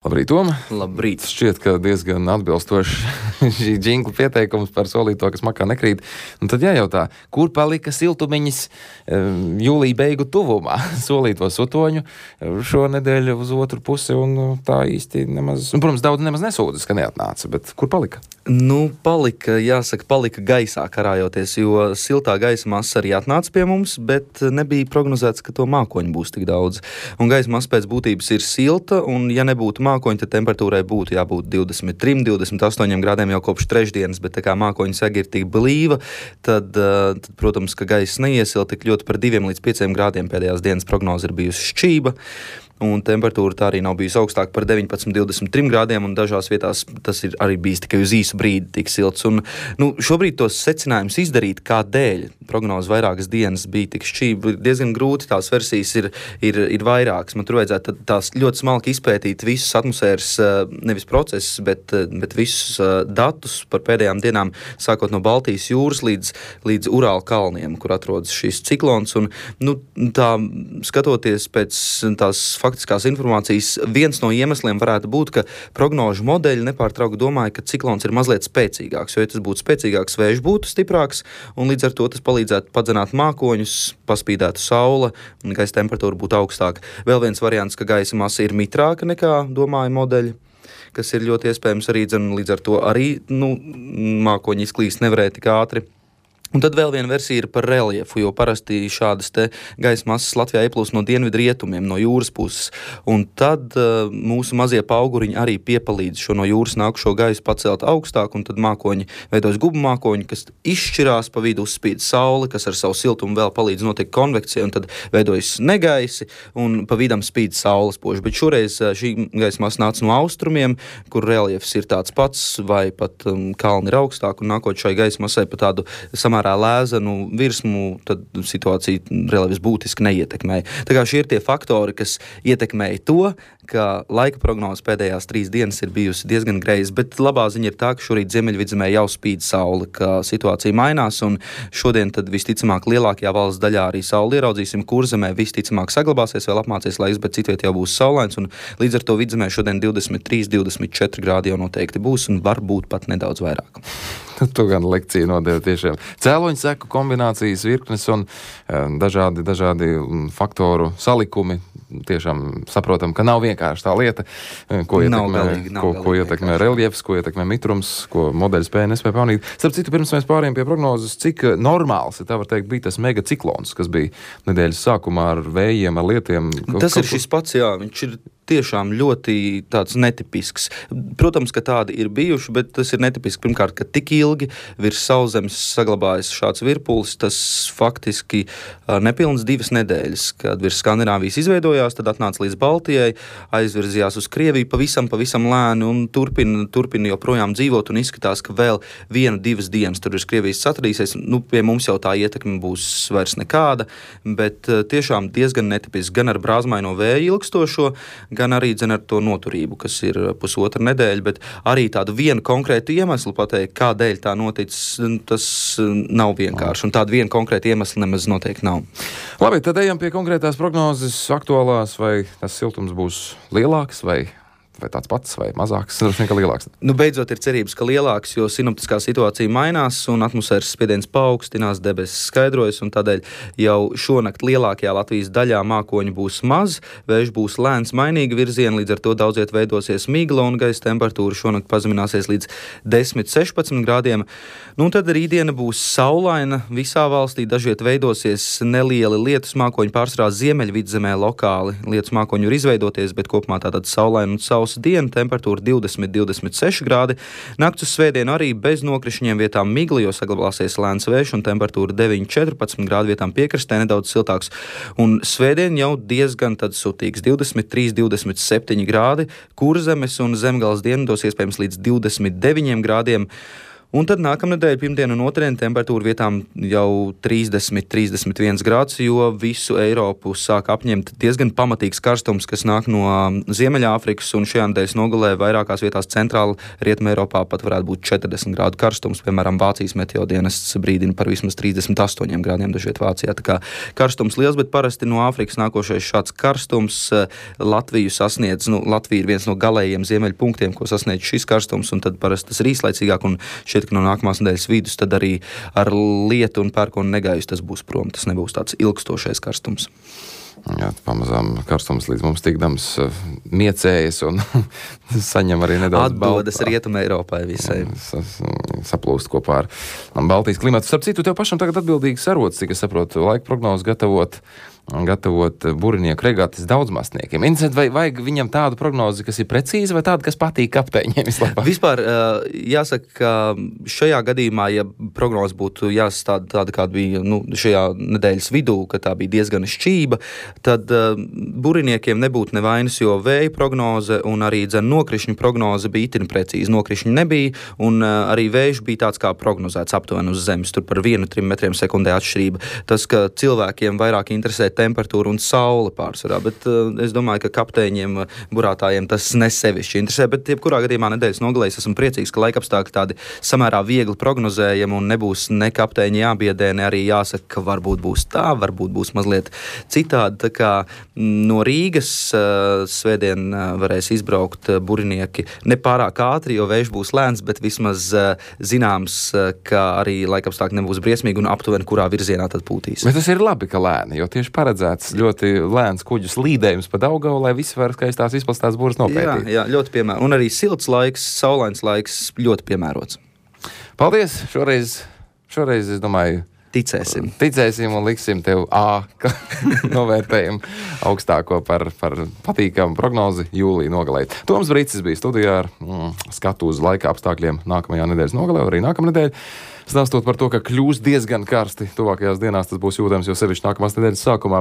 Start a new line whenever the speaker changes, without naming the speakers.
Labrīt, Tom.
Labrīt.
Šķiet, ka diezgan atbilstoši šī džingla pieteikums par solīto, kas makā nekrīt. Un tad jājautā, kur palika siltumiņas jūlija beigu tuvumā? Solīto sutoņu šonedēļ uz otru pusi, un tā īsti nemaz, protams, daudz nemaz nesūdzas, ka neatnāca, bet kur palika?
Palika gaisā karājoties, jo siltā gaisa masa arī atnāca pie mums, bet nebija prognozēts, ka to mākoņu būs tik daudz. Un gaisa masa pēc būtības ir silta, un ja nebūtu mākoņi, tad temperatūrai būtu jābūt 23, 28 grādiem jau kopš trešdienas, bet tā kā mākoņu sega ir tik blīva, tad, protams, ka gaisa neiesil tik ļoti par 2 līdz 5 grādiem. Pēdējās dienas prognoze ir bijusi šķība, un temperatūra tā arī nav bijusi augstāka par 19, 23 grādiem, un dažās vietās tas ir arī bijis tikai uz īsu brīdi tik silts. Un, šobrīd tos secinājumus izdarīt, kādēļ prognoze vairākas dienas bija tik šķība, ir diezgan grūti. Tās versijas ir vairākas. Man tur vajadzētu tās ļoti smalki izpētīt visus atmosfēras, nevis procesus, bet visus datus par pēdējām dienām, sākot no Baltijas jūras līdz Urāla kalniem, kur atrodas šis ciklons. Un, tā skatoties pēc tās faktiskās informācijas, viens no iemesliem varētu būt, ka prognožu modeļi nepārtraukti domāja, ka ciklons ir mazliet spēcīgāks, jo ja tas būtu spēcīgāks, vējš būtu stiprāks, un līdz ar to tas palīdzētu padzenāt mākoņus, paspīdētu saule, un gaisa temperatūra būtu augstāka. Vēl viens variants, ka gaisa masa ir mitrāka nekā domāja modeļi, kas ir ļoti iespējams arī, līdz ar to arī mākoņi izklīst nevarēja tik ātri. Un tad vēl viena versija ir par reliefu, jo parasti šādas te gaisa masas Latvijā ieplūst no dienvidu rietumiem, no jūras puses. Un tad mūsu mazie pauguriņi arī piepalīdz šo no jūras nākušo gaisu pacelt augstāk, un tad mākoņi veidojas gubu mākoņi, kas izšķirās, pa vidu uzspīd sauli, kas ar savu siltumu vēl palīdz notiek konvekcija, un tad veidojas negaisi, un pa vidam spīd saules poži. Bet šoreiz šī gaisa masa nāca no austrumiem, kur reliefs ir tāds pats, vai pat kalni ir augstāk, un nākot šai gaisa masai pa tādu samērā lēzanu virsmu, tad situācija reliefs būtiski neietekmēja. Tā kā šie ir tie faktori, kas ietekmēja to, ka laika prognoze pēdējās 3 dienas ir bijusi diezgan greiza, bet labā ziņa ir tā, ka šorīt Ziemeļvidzemē jau spīd saule, ka situācija mainās, un šodien tad visticamāk lielākajā valsts daļā arī sauli ieraudzīsim. Kurzemē visticamāk saglabāsies, vēl apmācies laiks, bet citviet jau būs saulains, un līdz ar to vidzemē šodien 23, 24 grādi jau noteikti būs, un varbūt pat nedaudz vairāk.
Tu gan lekciju nodeva tiešām. Cēloņu seku kombinācijas virknes un dažādi faktoru salikumi. Tiešām saprotam, ka nav vienkārši tā lieta, ko ietekmē reliefs, ko ietekmē mitrums, ko modeļi spēja nespēja pamanīt. Starp citu, pirms mēs pārējām pie prognozes, cik normāls, tā var teikt, bija tas megaciklons, kas bija nedēļas sākumā ar vējiem, ar lietiem.
Tas ir šis pats, jā, viņš ir tiešām ļoti tāds netipisks. Protams, ka tādi ir bijuši, bet tas ir netipiski. Pirmkārt, ka tik ilgi virs sauszemes saglabājas šāds virpulis, tas faktiski nepilns 2 nedēļas, kad virs Skandināvijas izveidojās, tad atnāca līdz Baltijai, aizvirzījās uz Krieviju pavisam lēni un turpina joprojām dzīvot, un izskatās, ka vēl 1-2 dienas tur virs Krievijas atradīsies. Pie mums jau tā ietekme būs vairs nekāda, bet tiešām diezgan netipiski gan ar brāzmaino vēju ilgstošo, gan arī ar to noturību, kas ir pusotra nedēļa, bet arī tādu vienu konkrētu iemeslu pateikt, kādēļ tā noticis, tas nav vienkārši, un tādu vienu konkrētu iemeslu nemaz noteikti nav.
Labi, tad ejam pie konkrētās prognozes aktuālās, vai tas siltums būs lielāks, vai tāds pats, vai mazāks, droši vien, ka lielāks.
Beidzot ir cerības, ka lielāks, jo sinoptiskā situācija mainās un atmosfēras spiediens paaugstinās, debesis skaidrojas, un tādēļ jau šonakt lielākajā Latvijas daļā mākoņu būs maz, vējš būs lēns mainīga virziena, līdz ar to daudziet veidosies migla un gaisa temperatūra šonakt pazemināsies līdz 10-16 grādiem. Tad rītdiena būs saulaina visā valstī, dažviet veidosies nelieli lietus mākoņi, pārsvarā Ziemeļvidzemē lokāli. Lietus mākoņi ir izveidoties, bet kopumā tātad saulaina un sausa diena, temperatūra 20-26 grādi. Nakts uz svētdienu arī bez nokrišņiem, vietām migla, jo saglabāsies lēns vējš, un temperatūra 9-14 grādi, vietām piekrastē nedaudz siltāks. Un svētdien jau diezgan tad sutīgs, 23-27 grādi, Kurzemes un Zemgales dienvidos iespējams līdz 29 grādiem. Un tad nākamnedēļ, pirmdien un otrdien, temperatūra vietām jau 30-31 grāds, jo visu Eiropu sāk apņemt diezgan pamatīgs karstums, kas nāk no Ziemeļāfrikas, un šajā nedēļas nogalē vairākās vietās centrāla Rietumē Eiropā pat varētu būt 40 grādu karstums. Piemēram, Vācijas meteodienests brīdina par vismaz 38 grādiem dažviet Vācijā. Tā kā karstums liels, bet parasti no Āfrikas nākošais šāds karstums Latviju sasniedz. Latvija ir viens no galējiem ziemeļpunktiem, ko sasniedz šis karstums, un tad parasti tas ir īslaicīgāk, un ka no nākamās nedēļas vidus tad arī ar lietu un pērkonu negaisu tas būs prom. Tas nebūs tāds ilgstošais karstums.
Jā, pamazām karstums līdz mums tikdams miecējas un saņem arī nedaudz
atdodas Rietumē Eiropai visai.
Saplūst kopā ar Baltijas klimatu. Starp citu, tev pašam tagad atbildīgs sarots, cik es saprotu, laika prognozi gatavot burinieku regatas daudzmastniekiem. Interesanti, vai vajag viņam tādu prognozi, kas ir precīza, vai tādu, kas patīk kapteiņiem vislabāk?
Vispār jāsaka, ka šajā gadījumā, ja prognoze būtu jāsastāda tāda, kāda bija šajā nedēļas vidū, ka tā bija diezgan šķība, tad buriniekiem nebūtu nevainas, jo vēja prognoze un arī nokrišņu prognoze bija itin precīzi. Nokrišņu nebija, un arī vējš bija tāds kā prognozēts aptuveni uz zemes, tur par 1-3 metriem sekundē atšķirība. Tas, ka cilvēkiem vairāk interesē temperatūra un saule pārsvarā, bet es domāju, ka kapteiņiem, burātājiem tas nesevišķi interesē, bet jebkurā gadījumā nedēļas nogalēs esmu priecīgs, ka laikapstākļi tādi samērā viegli prognozējami un nebūs ne kapteiņi jābiedē, ne arī jāsaka, ka varbūt būs tā, varbūt būs mazliet citādi. Tā kā no Rīgas svētdien varēs izbraukt burinieki nepārāk ātri, jo vējš būs lēns, bet vismaz zināms, ka arī laikapstākļi nebūs briesmīgi un aptuveni, kurā virzienā tad pūtīs.
Bet tas ir labi, ka lēni, jo tieši paredzēts ļoti lēns kuģu slīdējums pa Daugavu, lai visi var skaistās izplastās būras nopētīt.
Jā, ļoti piemērots. Un arī silts laiks, saulains laiks ļoti piemērots.
Paldies! Šoreiz es domāju, Ticēsim un liksim tev novērtējumu augstāko par patīkamu prognozi jūlija nogalē. Toms Brīcis bija studijā ar skatu uz laika apstākļiem nākamajā nedēļas nogalē, arī nākamnedēļ. Stāstot par to, ka kļūs diezgan karsti tuvākajās dienās, tas būs jūtams jau sevišķi nākamās nedēļas sākumā.